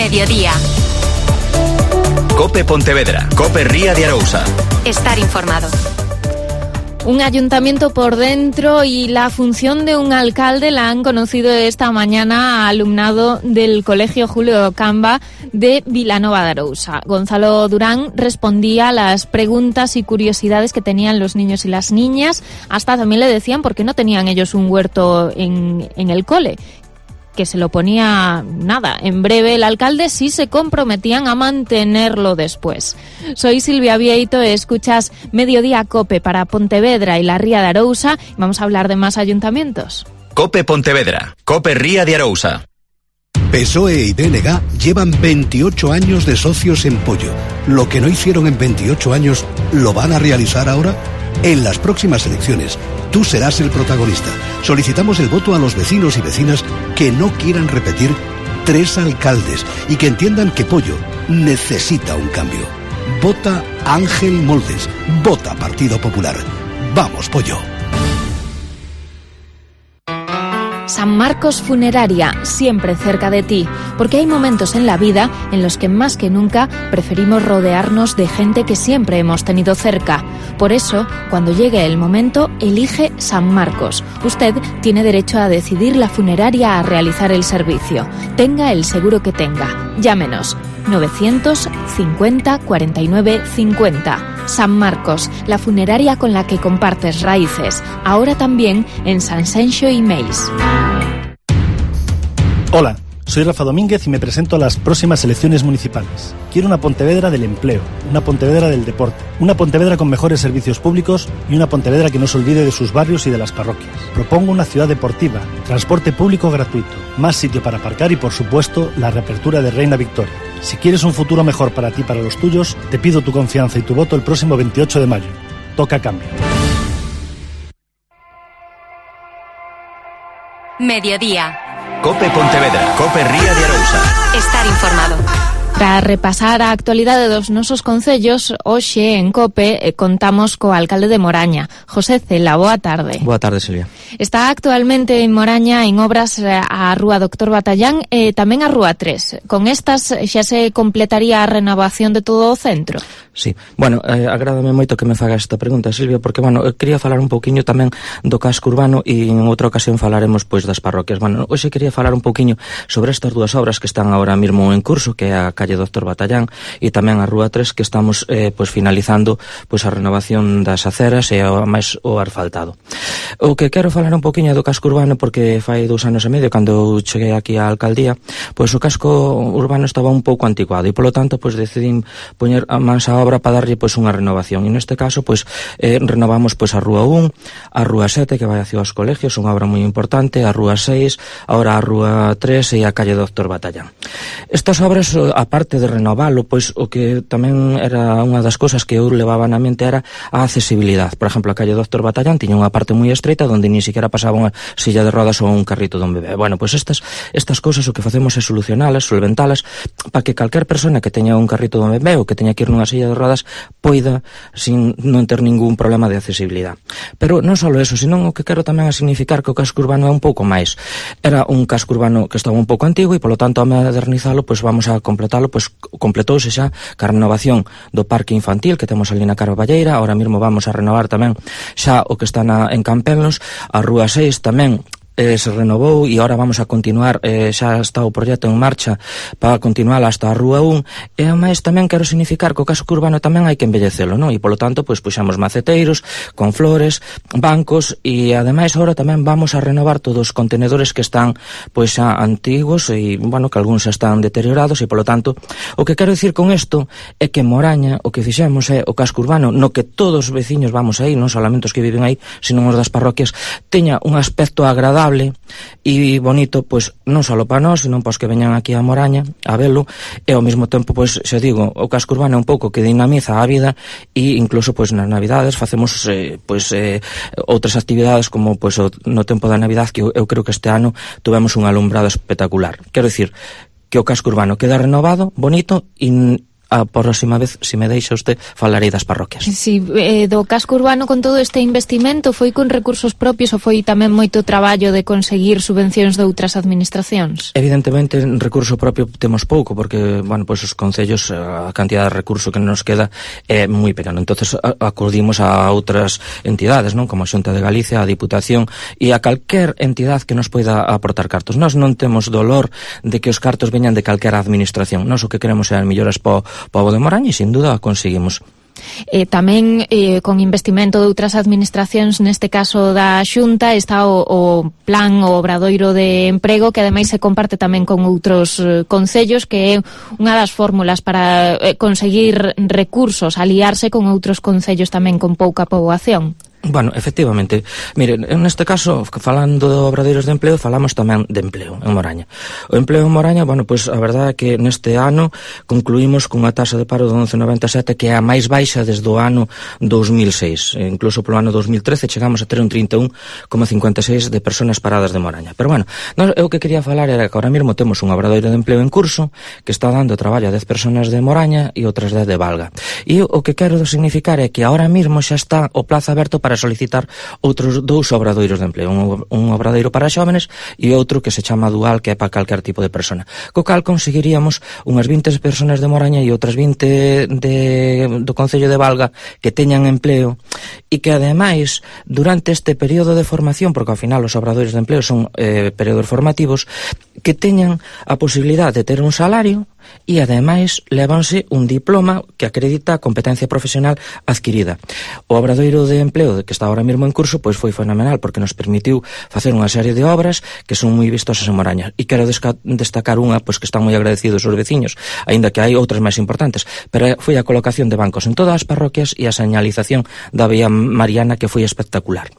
Mediodía. Cope Pontevedra, Cope Ría de Arousa. Estar informado. Un ayuntamiento por dentro y la función de un alcalde la han conocido esta mañana alumnado del Colegio Julio Camba de Vilanova de Arousa. Gonzalo Durán respondía a las preguntas y curiosidades que tenían los niños y las niñas. Hasta también le decían por qué no tenían ellos un huerto en el cole, que se lo ponía nada. En breve el alcalde sí se comprometían a mantenerlo después. Soy Silvia Vieito, escuchas Mediodía Cope para Pontevedra y la Ría de Arousa. Vamos a hablar de más ayuntamientos. Cope Pontevedra, Cope Ría de Arousa. PSOE y BNG llevan 28 años de socios en Pollo. Lo que no hicieron en 28 años, ¿lo van a realizar ahora? En las próximas elecciones, tú serás el protagonista. Solicitamos el voto a los vecinos y vecinas que no quieran repetir 3 alcaldes y que entiendan que Pollo necesita un cambio. Vota Ángel Moldes. Vota Partido Popular. ¡Vamos, Pollo! San Marcos Funeraria, siempre cerca de ti, porque hay momentos en la vida en los que más que nunca preferimos rodearnos de gente que siempre hemos tenido cerca. Por eso, cuando llegue el momento, elige San Marcos. Usted tiene derecho a decidir la funeraria a realizar el servicio. Tenga el seguro que tenga. Llámenos 950 49 50. San Marcos, la funeraria con la que compartes raíces. Ahora también en San Senxo y Meis. Hola, soy Rafa Domínguez y me presento a las próximas elecciones municipales. Quiero una Pontevedra del empleo, una Pontevedra del deporte, una Pontevedra con mejores servicios públicos y una Pontevedra que no se olvide de sus barrios y de las parroquias. Propongo una ciudad deportiva, transporte público gratuito, más sitio para aparcar y, por supuesto, la reapertura de Reina Victoria. Si quieres un futuro mejor para ti y para los tuyos, te pido tu confianza y tu voto el próximo 28 de mayo. Toca cambio. Mediodía. Cope Pontevedra, Cope Ría de Arousa. Estar informado. Para repasar a actualidade dos nosos concellos, hoxe en COPE contamos co alcalde de Moraña, José Cela. Boa tarde. Boa tarde, Silvia. Está actualmente en Moraña en obras a Rúa Doctor Batallán e tamén a Rúa 3. Con estas xa se completaría a renovación de todo o centro? Sí. Bueno, agrádame moito que me fagas esta pregunta, Silvia, porque, bueno, quería falar un pouquiño tamén do casco urbano e en outra ocasión falaremos, pois, das parroquias. Bueno, hoxe quería falar un pouquiño sobre estas dúas obras que están agora mesmo en curso, que é a calle Doctor Batallán e tamén a Rúa 3, que estamos pois finalizando pois a renovación das aceras e máis o asfaltado. O que quero falar un poquinho do casco urbano, porque fai 2 anos e medio cando cheguei aquí á alcaldía, pois o casco urbano estaba un pouco anticuado e polo tanto pois decidín poñer a mans á obra para darlle pois unha renovación. E neste caso pois renovamos pois a Rúa 1, a Rúa 7 que vai hacia os colegios, unha obra moi importante, a Rúa 6, agora a Rúa 3 e a calle Doctor Batallán. Estas obras, aparte de renovalo, pois o que tamén era unha das cousas que eu levaba na mente era a accesibilidade. Por exemplo, a calle Doctor Batallán tiña unha parte moi estreita onde ni siquiera pasaba unha silla de rodas ou un carrito dun bebé. Bueno, pois estas cousas o que facemos é solucionalas, solventalas, para que calquer persona que teña un carrito dun bebé ou que teña que ir nunha silla de rodas poida sin non ter ningún problema de accesibilidade. Pero non só eso, senón o que quero tamén é significar que o casco urbano é un pouco máis. Era un casco urbano que estaba un pouco antigo e polo tanto a modernizalo, pois vamos a completalo, pois completouse xa ca renovación do parque infantil que temos ali na Carballeira. Ahora mesmo vamos a renovar tamén xa o que está en Campelos, a Rúa 6 tamén se renovou e agora vamos a continuar, xa está o proxecto en marcha para continuar hasta a Rúa 1 e ademais tamén quero significar que o casco urbano tamén hai que embellecelo, non? E polo tanto pois puxamos maceteiros con flores, bancos e ademais agora tamén vamos a renovar todos os contenedores que están pois xa antigos e, bueno, que algúns xa están deteriorados e polo tanto o que quero dicir con isto é que Moraña o que fixemos é o casco urbano no que todos os veciños vamos aí, non solamente os que viven aí, sino os das parroquias, teña un aspecto agradable e bonito, pois non só para nós, senón para os que veñan aquí a Moraña a velo, e ao mesmo tempo, pois, xa digo, o casco urbano é un pouco que dinamiza a vida e incluso, pois, nas Navidades facemos, outras actividades como, pois, no tempo da Navidad, que eu creo que este ano tuvemos un alumbrado espectacular. Quero dicir que o casco urbano queda renovado, bonito e a próxima vez, se me deixa usted, falarei das parroquias. Si, do casco urbano con todo este investimento foi con recursos propios ou foi tamén moito traballo de conseguir subvencións de outras administracións? Evidentemente, en recurso propio temos pouco, porque, bueno, pois os concellos, a cantidad de recurso que nos queda é moi pequeno. Entonces acudimos a outras entidades, non? Como a Xunta de Galicia, a Diputación e a calquer entidade que nos poida aportar cartos. Nós non temos dolor de que os cartos veñan de calquera administración. Nós o que queremos é as melloras para o pobo de Moraña e, sin duda, conseguimos. Tamén con investimento de outras administracións, neste caso da Xunta, está o plan, o obradoiro de emprego, que ademais se comparte tamén con outros concellos, que é unha das fórmulas para conseguir recursos, aliarse con outros concellos tamén con pouca poboación. Bueno, efectivamente, mire, neste caso, falando de obradeiros de empleo, falamos tamén de empleo en Moraña. O empleo en Moraña, bueno, pois a verdade é que neste ano concluímos cunha taxa de paro de 11,97, que é a máis baixa desde o ano 2006. Incluso polo ano 2013 chegamos a ter un 31,56 de personas paradas de Moraña. Pero bueno, eu que quería falar era que ahora mesmo temos un obradoiro de empleo en curso que está dando traballo a 10 personas de Moraña e outras 10 de Valga. E o que quero significar é que ahora mesmo xa está o plazo aberto para solicitar outros 2 obradoiros de empleo, un obradoiro para xóvenes e outro que se chama dual, que é para calquer tipo de persona. Co cal conseguiríamos unhas 20 personas de Moraña e outras 20 do Concello de Valga que teñan empleo e que ademais durante este período de formación, porque ao final os obradoiros de empleo son períodos formativos, que teñan a posibilidade de ter un salario e ademais levanse un diploma que acredita a competencia profesional adquirida. O obradoiro de empleo que está ahora mesmo en curso pois foi fenomenal, porque nos permitiu facer unha serie de obras que son moi vistosas en Moraña, e quero destacar unha pois que están moi agradecidos os veciños, aínda que hai outras máis importantes, pero foi a colocación de bancos en todas as parroquias e a señalización da vía Mariana, que foi espectacular.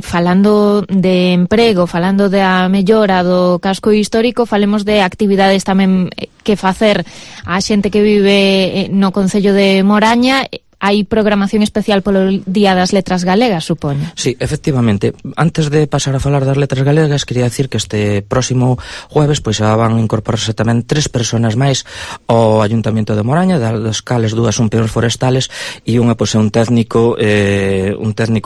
Falando de emprego, falando da mellora do casco histórico, falemos de actividades tamén que facer a xente que vive no Concello de Moraña. Hai programación especial polo Día das Letras Galegas, supoño. Sí, efectivamente. Antes de pasar a falar das letras galegas, quería decir que este próximo jueves pois xa van incorporarse tamén 3 personas máis ao Ayuntamento de Moraña, das cales 2 son peóns forestales e unha pois é un técnico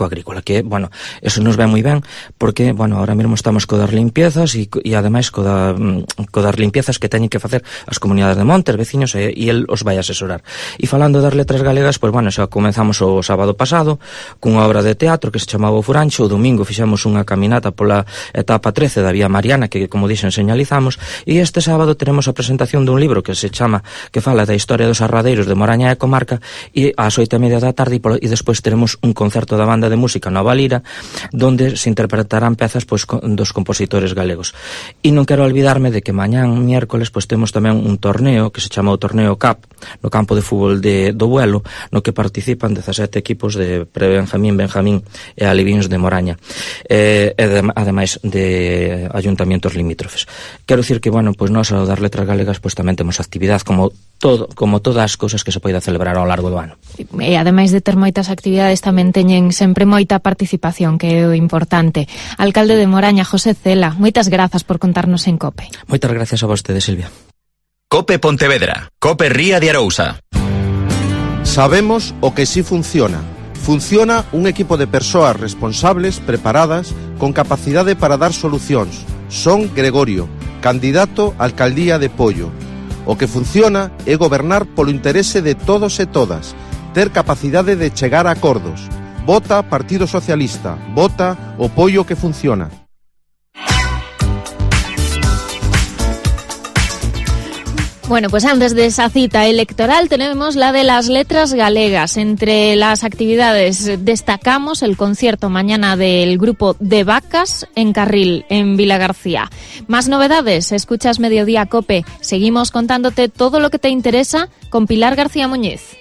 agrícola, que, bueno, eso nos ve moi ben, porque, bueno, ahora mesmo estamos co das limpiezas e ademais co das limpiezas que teñen que facer as comunidades de montes, veciños, e el os vai asesorar. E falando das letras galegas, pois, bueno, xa comenzamos o sábado pasado cunha obra de teatro que se chamaba O Furancho. O domingo fixemos unha caminata pola etapa 13 da vía Mariana, que, como dixen, señalizamos, e este sábado teremos a presentación dun libro que fala da historia dos arradeiros de Moraña e comarca, e ás 8:30 da tarde, e despois teremos un concerto da banda de música Nova Lira, donde se interpretarán pezas pois dos compositores galegos. E non quero olvidarme de que mañán, miércoles, pois temos tamén un torneo que se chama o Torneo CAP no campo de fútbol do Buelo, no que participan 17 equipos de Prebenjamín, Benjamín e Alivíns de Moraña, ademais de ayuntamientos limítrofes. Quero dicir que, bueno, pois nós ao dar letras galegas pois tamén temos actividade como todas as cousas que se poida celebrar ao largo do ano. E ademais de ter moitas actividades, tamén teñen sempre moita participación, que é o importante. Alcalde de Moraña, José Cela, moitas grazas por contarnos en COPE. Moitas gracias a vostede, Silvia. COPE Pontevedra, COPE Ría de Arousa. Sabemos o que sí funciona. Funciona un equipo de persoas responsables, preparadas, con capacidade para dar solucións. Son Gregorio, candidato á alcaldía de Pollo. O que funciona é gobernar polo interese de todos e todas, ter capacidade de chegar a acordos. Vota Partido Socialista, vota o Pollo que funciona. Bueno, pues antes de esa cita electoral tenemos la de las letras galegas. Entre las actividades destacamos el concierto mañana del grupo de Vacas en Carril, en Vilagarcía. Más novedades, escuchas Mediodía COPE. Seguimos contándote todo lo que te interesa con Pilar García Muñiz.